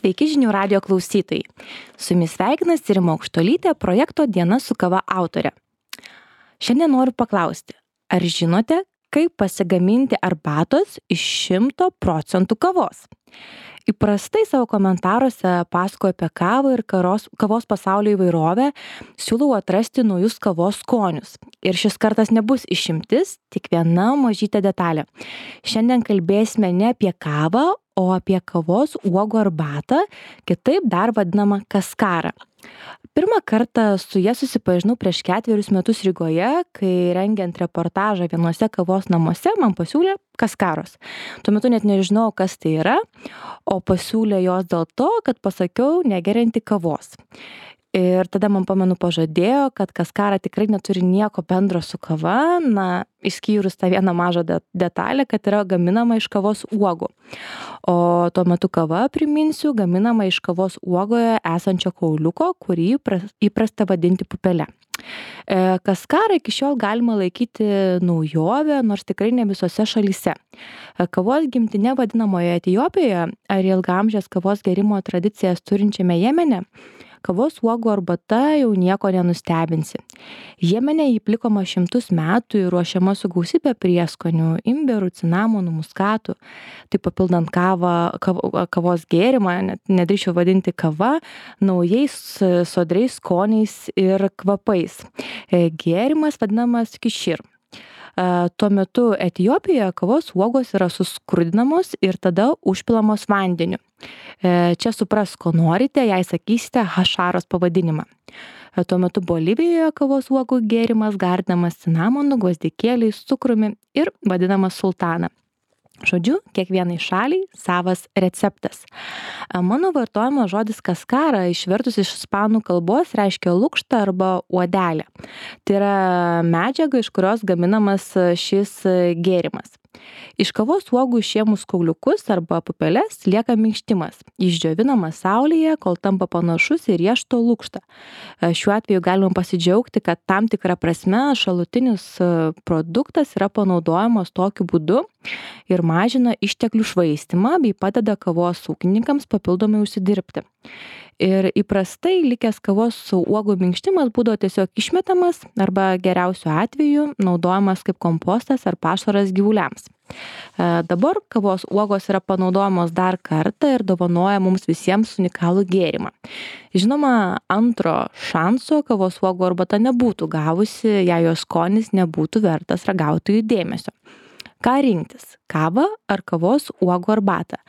Sveiki žinių radio klausytojai. Su jumis sveikinasi Rima Aukštuolytė, projekto Diena su kava autorė. Šiandien noriu paklausti, ar žinote, kaip pasigaminti arbatos iš 100% kavos? Įprastai savo komentaruose pasakoju apie kavą ir kavos pasaulio įvairovę, siūlau atrasti naujus kavos skonius. Ir šis kartas nebus išimtis, tik viena mažytė detalė. Šiandien kalbėsime ne apie kavą, o apie kavos uogų arbatą, kitaip dar vadinamą kaskarą. Pirmą kartą su ja susipažinau prieš 4 metus Rygoje, kai rengiant reportažą vienuose kavos namuose man pasiūlė kaskaros. Tuo metu net nežinau, kas tai yra, o pasiūlė jos dėl to, kad pasakiau negerianti kavos. Ir tada man pamenu pažadėjo, kad kaskara tikrai neturi nieko bendro su kava, išskyrus tą vieną mažą detalę, kad yra gaminama iš kavos uogų. O tuo metu kava, priminsiu, gaminama iš kavos uogoje esančio kauliuko, kurį įprasta vadinti pupele. Kaskarą iki šiol galima laikyti naujovę, nors tikrai ne visose šalyse. Kavos gimtine vadinamoje Etiopijoje ar ilgaamžės kavos gerimo tradicijas turinčiame Jemene, kavos uogų arbata jau nieko nenustebinsi. Jemene jį plikoma 100 metų ir ruošiama su gausybė prieskonių, imbierų, cinamonų, muskatų. Tai papildant kavos gėrimą, nedrįsčiau vadinti kava, naujais sodriais skoniais ir kvapais. Gėrimas vadinamas kišir. Tuo metu Etiopijoje kavos uogos yra suskrudinamos ir tada užpilamos vandeniu. Čia supras, ko norite, jei sakysite hašaros pavadinimą. Tuo metu Bolivijoje kavos uogų gėrimas gardinamas cinamonu, gvazdikėliais, cukrumi ir vadinamas sultana. Žodžiu, kiekvienai šaliai savas receptas. Mano vartojamas žodis kaskara išvertus iš ispanų kalbos reiškia lukštą arba uodelę. Tai yra medžiaga, iš kurios gaminamas šis gėrimas. Iš kavos uogų išėmus kauliukus arba pupeles lieka minkštimas. Jis džiovinamas saulėje, kol tampa panašus į riešuto lukštą. Šiuo atveju galima pasidžiaugti, kad tam tikra prasme šalutinis produktas yra panaudojamas tokiu būdu ir mažina išteklių švaistymą bei padeda kavos ūkininkams papildomai užsidirbti. Ir įprastai likęs kavos uogų minkštimas būdavo tiesiog išmetamas arba geriausiu atveju naudojamas kaip kompostas ar pašaras gyvuliams. Dabar kavos uogos yra panaudojamos dar kartą ir dovanoja mums visiems unikalų gėrimą. Žinoma, antro šanso kavos uogų arbata nebūtų gavusi, jei jos skonis nebūtų vertas ragautojų dėmesio. Ką rinktis? Kavą ar kavos uogų arbatą?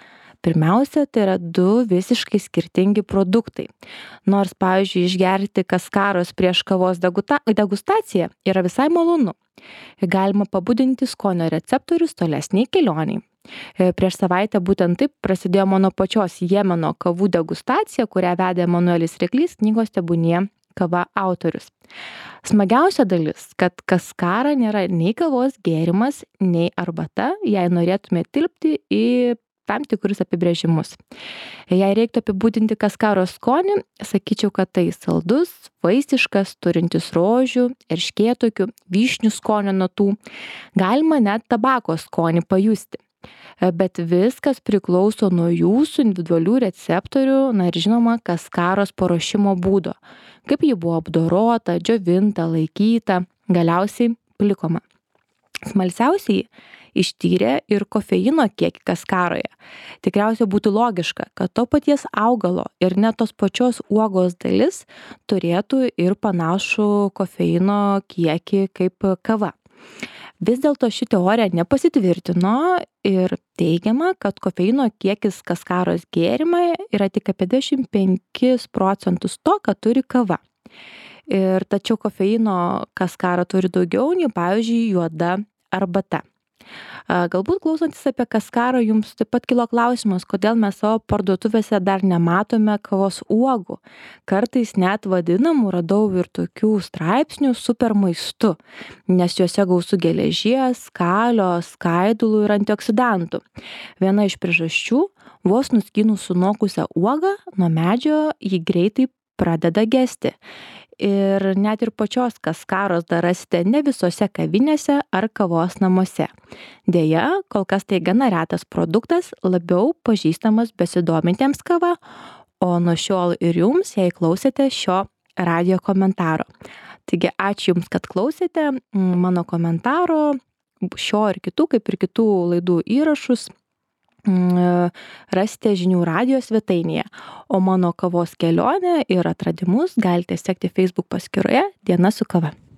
Pirmiausia, tai yra 2 visiškai skirtingi produktai. Nors, pavyzdžiui, išgerti kaskaros prieš kavos degustaciją yra visai malonu. Galima pabudinti skonio receptorius tolesniai kelioniai. Prieš savaitę būtent taip prasidėjo mano pačios Jemeno kavų degustacija, kurią vedė Emanuelis Ryklys, knygos Tebūnie kava autorius. Smagiausia dalis, kad kaskara nėra nei kavos gėrimas, nei arbata, jei norėtume tilpti į tam tikrus apibrėžimus. Jei reiktų apibūdinti kaskaros skonį, sakyčiau, kad tai saldus, vaistiškas, turintis rožių, erškėtokių, vyšnių skonio natų. Galima net tabako skonį pajusti. Bet viskas priklauso nuo jūsų individualių receptorių, ir žinoma, kaskaros paruošimo būdo. Kaip ji buvo apdorota, džiovinta, laikyta, galiausiai plikoma. Smalsiausiai ištyrė ir kofeino kiekį kaskaroje. Tikriausiai būtų logiška, kad to paties augalo ir net tos pačios uogos dalis turėtų ir panašų kofeino kiekį kaip kava. Vis dėlto ši teorija nepasitvirtino ir teigiama, kad kofeino kiekis kaskaros gėrime yra tik apie 25% to, ką turi kava. Tačiau kofeino kaskara turi daugiau nei, pavyzdžiui, juoda arbata. Galbūt klausantis apie kaskarą jums taip pat kilo klausimas, kodėl mes savo parduotuvėse dar nematome kavos uogų. Kartais net vadinamų radau ir tokių straipsnių super maistu, nes juose gausu geležies, kalio, skaidulų ir antioksidantų. Viena iš priežasčių, vos nuskynus sunokusią uogą nuo medžio, ji greitai pradeda gesti. ir net ir pačios kaskaros dar rasite ne visose kavinėse ar kavos namuose. Deja, kol kas tai gana retas produktas, labiau pažįstamas besidomintiems kava, o nuo šiol ir jums, jei klausėte šio radio komentaro. Taigi ačiū Jums, kad klausėte mano komentaro, šio ir kitų, kaip ir kitų laidų įrašus rasite žinių radijo svetainėje, o mano kavos kelionę ir atradimus galite sekti Facebook paskyroje Diena su kava.